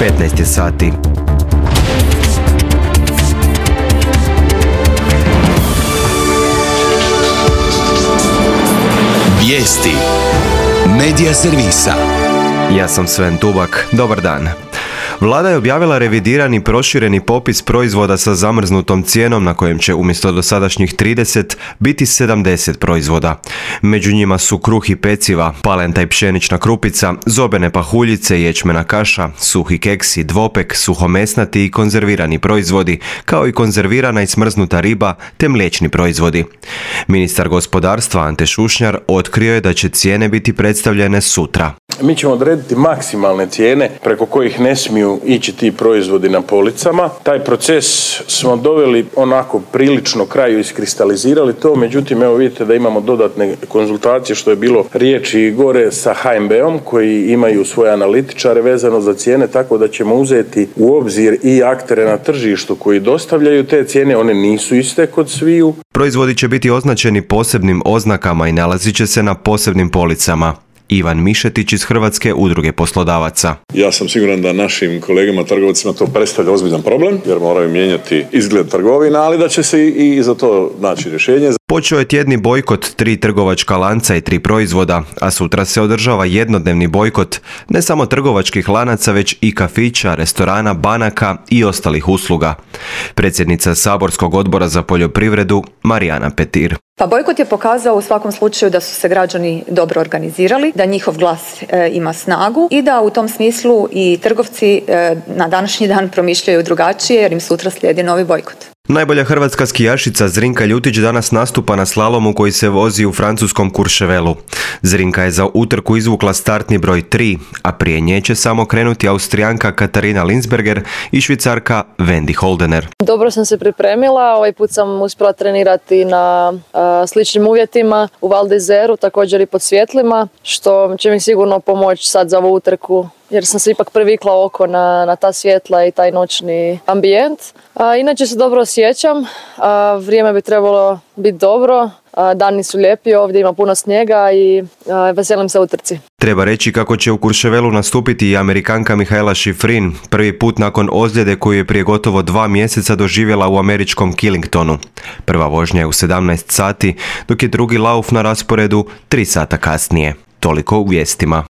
15 je sati. Vijesti Medija servisa. Ja sam Sven Tubak. Dobar dan. Vlada je objavila revidirani prošireni popis proizvoda sa zamrznutom cijenom na kojem će umjesto dosadašnjih 30 biti 70 proizvoda. Među njima su kruh i peciva, palenta i pšenična krupica, zobene pahuljice, ječmena kaša, suhi keksi, dvopek, suhomesnati i konzervirani proizvodi, kao i konzervirana i smrznuta riba te mliječni proizvodi. Ministar gospodarstva Ante Šušnjar otkrio je da će cijene biti predstavljene sutra. Mi ćemo odrediti maksimalne cijene preko kojih ne smiju ići ti proizvodi na policama. Taj proces smo doveli onako prilično kraju, iskristalizirali to, međutim evo vidite da imamo dodatne konzultacije što je bilo riječi gore sa HNB-om koji imaju svoje analitičare vezano za cijene, tako da ćemo uzeti u obzir i aktere na tržištu koji dostavljaju te cijene, one nisu iste kod sviju. Proizvodi će biti označeni posebnim oznakama i nalazit će se na posebnim policama. Ivan Mišetić iz Hrvatske udruge poslodavaca. Ja sam siguran da našim kolegama trgovcima to predstavlja ozbiljan problem jer moraju mijenjati izgled trgovina, ali da će se i za to naći rješenje. Počeo je tjedni bojkot 3 trgovačka lanca i 3 proizvoda, a sutra se održava jednodnevni bojkot ne samo trgovačkih lanaca, već i kafića, restorana, banaka i ostalih usluga. Predsjednica Saborskog odbora za poljoprivredu Marijana Petir. Pa bojkot je pokazao u svakom slučaju da su se građani dobro organizirali, da njihov glas ima snagu i da u tom smislu i trgovci na današnji dan promišljaju drugačije jer im sutra slijedi novi bojkot. Najbolja hrvatska skijašica Zrinka Ljutić danas nastupa na slalomu koji se vozi u francuskom Courchevelu. Zrinka je za utrku izvukla startni broj 3, a prije nje će samo krenuti Austrijanka Katarina Linsberger i Švicarka Wendy Holdener. Dobro sam se pripremila, ovaj put sam uspjela trenirati na sličnim uvjetima u Val d'Izeru, također i pod svjetlima, što će mi sigurno pomoći sad za ovu utrku, jer sam se ipak privikla oko na ta svjetla i taj noćni ambijent. Inače se dobro osjećam, vrijeme bi trebalo biti dobro, dani su lijepi, ovdje ima puno snijega i veselim se utrci. Treba reći kako će u Courchevelu nastupiti i Amerikanka Michaela Schifrin, prvi put nakon ozljede koju je prije gotovo 2 mjeseca doživjela u američkom Killingtonu. Prva vožnja je u 17 sati, dok je drugi lauf na rasporedu 3 sata kasnije. Toliko u vijestima.